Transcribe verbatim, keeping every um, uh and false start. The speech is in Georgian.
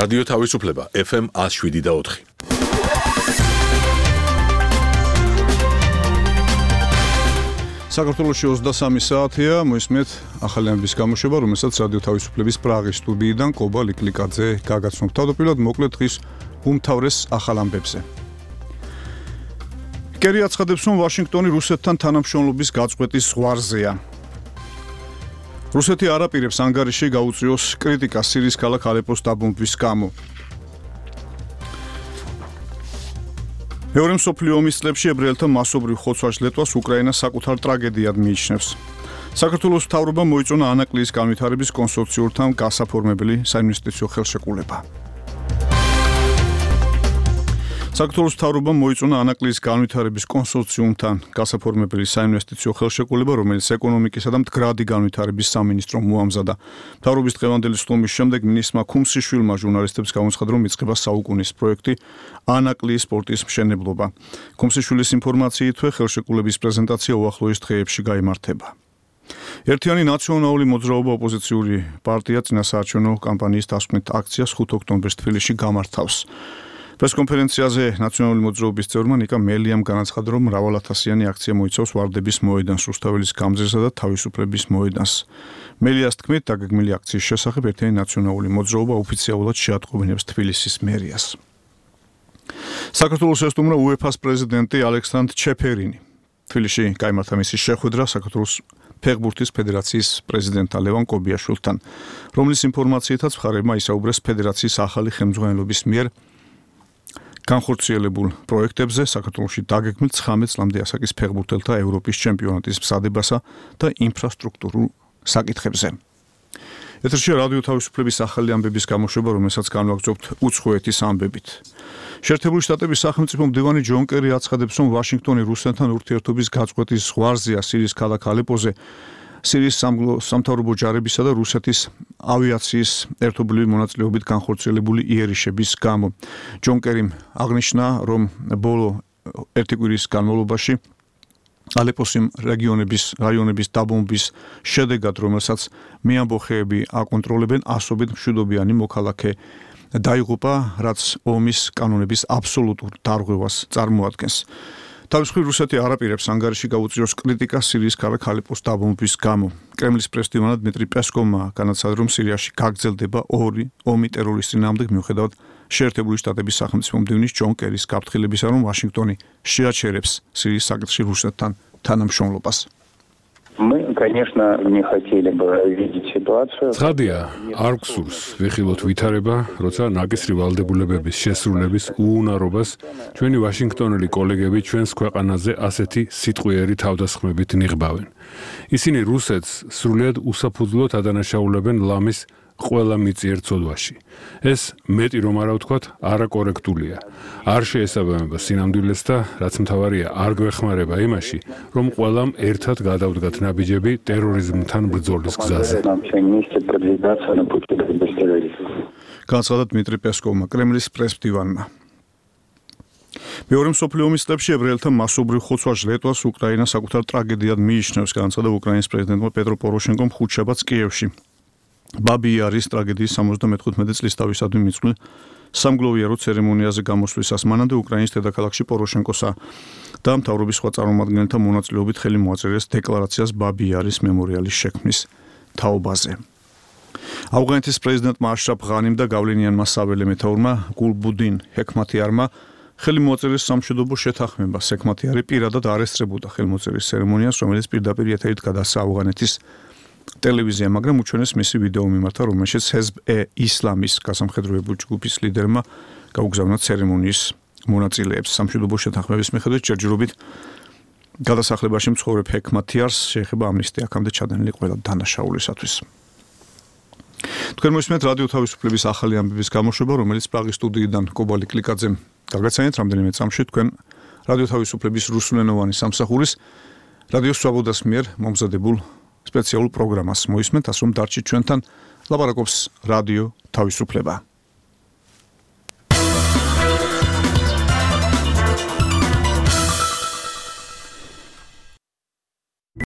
რადიო თავისუფლება ეფ ემ ათს შვიდი და ოთხი. საქართველოში ოცდასამი საათია, მოისმენთ ახალი ამბის გამოშვება, რომელსაც რადიო თავისუფლების პრაღის სტუდიიდან კობა ლიკლიკაძე გაგაცნობთ. თავდაპირველად მოკლედ დღის უმთავრეს ახალ ამბებზე. კერი აცხადებს, რომ ვაშინგტონი რუსეთთან თანამშრომლობის გაწყვეტის ზღვარზეა. რუსეთი არ აპირებს ანგარიში გაუწიოს კრიტიკას სირიის ქალაქ ალეპოს დაბომბვის გამო. მეორე მსოფლიო ომის წლებში ებრაელთა მასობრივ ხოცვა-ჟლეტვას უკრაინა საკუთარ ტრაგედიად მიიჩნევს. საქართველოს მთავრობამ მოიწონა ანაკლიის განვითარების კონსორციუმთან გასაფორმებელი საინვესტიციო ხელშეკრულება. საქართველოს მთავრობამ მოიწონა ანაკლიის განვითარების კონსორციუმთან გასაფორმებელი საინვესტიციო ხელშეკრულება, რომელიც ეკონომიკისა და მდგრადი განვითარების სამინისტრომ მოამზადა. მთავრობის დღევანდელი სტუმრის შემდეგ მინისტრმა ქუმსიშვილმა ჟურნალისტებს გამოცხადა, რომ იწყება საუკუნის პროექტი ანაკლიის პორტის მშენებლობა. ქუმსიშვილის ინფორმაციით, ხელშეკრულების პრეზენტაცია უახლოეს დღეებში გაიმართება. ერთიანი ნაციონალური მოძრაობა ოპოზიციური პარტია წინასაარჩევნო კამპანიის დასკვნით აქციას ხუთ ოქტომბერს თბილისში გამართავს. პრესკონფერენციაზე ნაციონალური მოძრაობის წევრმა ნიკა მელიამ განაცხადა, რომ მრავალათასიანი აქცია მოიცავს ვარდების მოედანს, რუსთაველის გამზირსა და თავისუფლების მოედანს. მელიას თქმით, დაგეგმილი აქციის შესახებ ერთიანი ნაციონალური მოძრაობა ოფიციალურად შეატყობინებს თბილისის მერიას. საქართველოს ესტუმრა უეფას პრეზიდენტი ალექსანდრ ჩეფერინი. თბილისში გაიმართა მისი შეხვედრა საქართველოს ფეხბურთის ფედერაციის პრეზიდენტთან ლევან კობიაშვილთან, რომლის ინფორმაციითაც მხარეებმა ისაუბრეს ფედერაციის ახალი ხელმძღვანელობის მიერ განხორციელებულ პროექტებზე საქართველოში დაგეგმილ ცხრამეტ წლამდე ასაკის ფეხბურთელთა ევროპის ჩემპიონატის მზადებასა და ინფრასტრუქტურულ საკითხებზე. ეთერშია რადიო თავისუფლების ახალი ამბების გამოშვება, რომელსაც განვაგრძობთ უცხოეთის ამბებით. შეერთებული შტატების სახელმწიფო მდივანი ჯონ კერი აცხადებს, რომ ვაშინგტონი რუსეთთან ურთიერთობის გაწყვეტის ზღვარზეა სირიის ქალაქ ალეპოზე. სირიის სამთავრობო ჯარებისა და რუსეთის ავიაციის ერთობლივი მონაწილეობით განხორციელებული იერიშების გამო. ჯონ კერიმ აღნიშნა, რომ ბოლო ერთი კვირის განმავლობაში ალეპოს რეგიონების რაიონების დაბომბვის შედეგად, რომელსაც მეამბოხეები აკონტროლებენ, ასობით მშვიდობიანი მოქალაქე დაიღუპა, რაც ომის კანონების აბსოლუტურ დარღვევას წარმოადგენს. თავის მხრივ რუსეთი არ აპირებს ანგარიში გაუწიოს კრიტიკას სირიის ქალაქ ალეპოს დაბომბვის გამო. კრემლის პრესდივანა დმიტრი პესკოვმა განაცხადა, რომ სირიაში გაგრძელდება ორი ომი ტერორის წინააღმდეგ, მიუხედავად შეერთებული შტატების სახელმწიფო მდივნის ჯონ კერის გაფრთხილებისა, რომ ვაშინგტონი შეაჩერებს სირიის საკითხში რუსეთთან თანამშრომლობას. Мы, конечно, не хотели бы видеть ситуацию. ცხადია, არ გვსურს ვიხილოთ ვითარება, როცა ნაკისრი ვალდებულებების შესრულების უუნარობას ჩვენი ვაშინგტონელი კოლეგები ჩვენს ქვეყანაზე ასეთი სიტყვიერი თავდასხმებით ნიღბავენ. ისინი რუსეთს სრულიად უსაფუძვლოდ ადანაშაულებენ ლამის ყველა მიწიერ ცოდვაში. ეს მეტი რომ არა ვთქვათ, არაკორექტულია. არ შეესაბამება სინამდვილეს და რაც მთავარია, არ გვეხმარება იმაში, რომ ყველამ ერთად გადავდგათ ნაბიჯები ტერორიზმთან ბრძოლის გზაზე. განაცხადა დმიტრი პესკოვმა, კრემლის პრესდივანმა. მეორე მსოფლიო ომის წლებში ებრაელთა მასობრივ ხოცვა-ჟლეტვას უკრაინა საკუთარ ტრაგედიად მიიჩნევს, განაცხადა უკრაინის პრეზიდენტმა პეტრო პოროშენკომ ხუთშაბათს კიევში. ბაბი-იარის ტრაგედიის სამოცდამეხუთმეტი წლის თავისადმი მიწვლის სამგლოვიარო ცერემონიაზე გამოსვლისას მანამდე უკრაინის დედაქალაქში პოროშენკოსა და მთავრობის სხვა წარმომადგენელთა მონაწილეობით ხელი მოაწერეს დეკლარაციას ბაბი-იარის მემორიალის შექმნის თაობაზე. ავღანეთის პრეზიდენტმა აშრაფ ღანიმ და გავლენიანმა საველე მეთაურმა გულბუდინ ჰექმათიარმა ხელი მოაწერეს სამშვიდობო შეთანხმებას. ჰექმათიარი პირადად არ ესწრებოდა ხელმოწერის ცერემონიას, რომელიც პირდაპირ ეთერით გადასცა ავღანეთის ტელევიზია, მაგრამ უჩვენეს მისი ვიდეო მიმართა, რომელშიც ჰეზბ-ე-ისლამის გასამხედროებული ჯგუფის ლიდერმა გაუგზავნა ცერემონიის მონაწილეებს. სამშვიდობო შეთანხმების მიხედვით ჯერჯერობით გადასახლებაში მცხოვრებ ჰექმათიარს შეეხება ამნისტია აქამდე ჩადენილი ყველა დანაშაულისათვის. თქვენ მოისმენთ რადიო თავისუფლების ახალი ამბების გამოშვება, რომელიც პრაღის სტუდიიდან კობა ლიკლიკაძემ გაგაცანეთ რამდენიმე წამში თქვენ რადიო თავისუფლების რუსულენოვანი სამსახურის რადიო სვაბოდას მიერ მომზადებულ სპეციალურ პროგრამას მოისმენთ, ასე რომ დარჩით ჩვენთან, ლაპარაკობს რადიო თავისუფლება.